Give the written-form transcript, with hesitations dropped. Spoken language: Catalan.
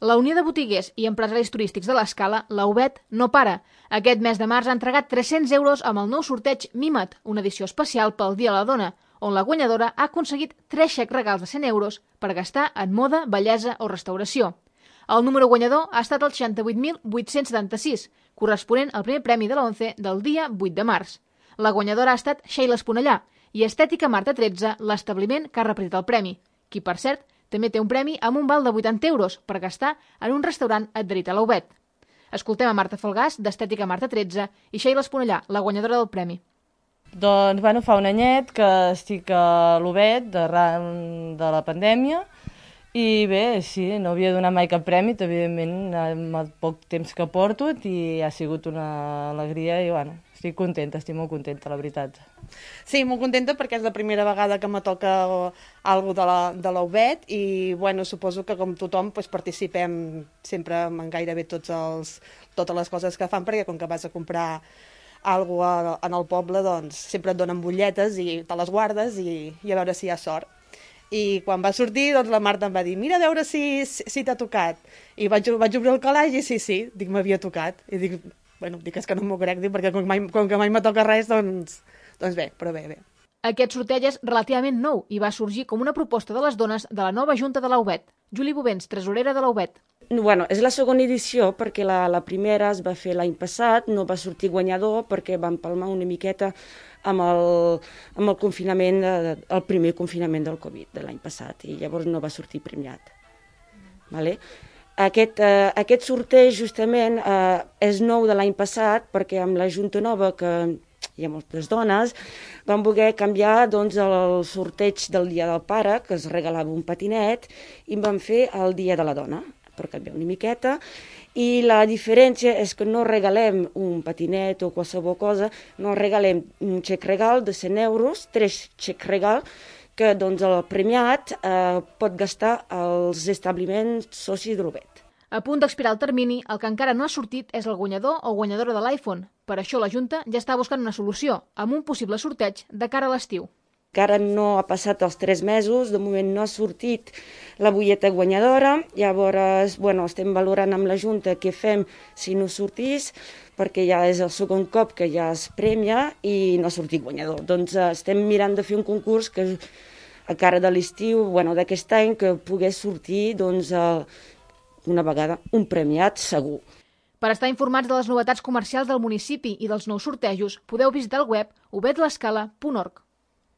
La Unió de Botiguers i Empresaris Turístics de l'Escala, la UBET, no para. Aquest mes de març ha entregat 300 euros amb el nou sorteig Mima't, una edició especial pel Dia de la Dona, on la guanyadora ha aconseguit 3 xecs regals de 100 euros per gastar en moda, bellesa o restauració. El número guanyador ha estat el 68.876, corresponent al primer premi de la ONCE del dia 8 de març. La guanyadora ha estat Sheila Esponellà i Estètica Marta 13, l'establiment que ha repartit el premi, qui, per cert, també té un premi amb un val de 80 euros per gastar en un restaurant adherit a la UBET. Escoltem a Marta Falgàs, d'Estètica Marta 13, i Sheila Esponellà, la guanyadora del premi. Doncs, fa un anyet que estic a l'UBET arran de la pandèmia i bé, sí, no havia donat mai cap premi, evidentment, amb el poc temps que porto i ha sigut una alegria i, estic contenta, estic molt contenta, la veritat. Sí, molt contenta perquè és la primera vegada que me toca alguna cosa de la UBET i, suposo que com tothom participem sempre en gairebé totes les coses que fan, perquè com que vas a comprar alguna cosa en el poble, doncs sempre et donen butlletes i te les guardes i a veure si hi ha sort. I quan va sortir, doncs la Marta em va dir mira a veure si t'ha tocat. I vaig obrir el calaix i sí, dic, m'havia tocat. I dic, és que no m'ho crec, perquè com que mai me toca res, doncs bé, però bé. Aquest sorteig és relativament nou i va sorgir com una proposta de les dones de la nova junta de la UBET. Juli Bovens, tresorera de la UBET. És la segona edició perquè la primera es va fer l'any passat, no va sortir guanyador perquè van palmar una miqueta amb el confinament, el primer confinament del Covid de l'any passat i llavors no va sortir premiat. Vale? Aquest sorteig justament és nou de l'any passat perquè amb la Junta Nova, que hi ha moltes dones, van voler canviar el sorteig del Dia del Pare, que es regalava un patinet, i van fer el Dia de la Dona, per canviar una miqueta, i la diferència és que no regalem un patinet o qualsevol cosa, no regalem un xec regal de 100 euros, 3 xecs regal, que el premiat pot gastar als establiments socis de l'UBET. A punt d'expirar el termini, el que encara no ha sortit és el guanyador o guanyadora de l'iPhone. Per això la Junta ja està buscant una solució, amb un possible sorteig de cara a l'estiu. Encara no ha passat els 3 mesos, de moment no ha sortit la butlleta guanyadora, llavors estem valorant amb la Junta què fem si no sortís, perquè ja és el segon cop que ja es premia i no ha sortit guanyador. Doncs estem mirant de fer un concurs que a cara de l'estiu, d'aquest any, que pogués sortir una vegada un premiat segur. Per estar informats de les novetats comercials del municipi i dels nous sortejos, podeu visitar el web ubetlescala.org.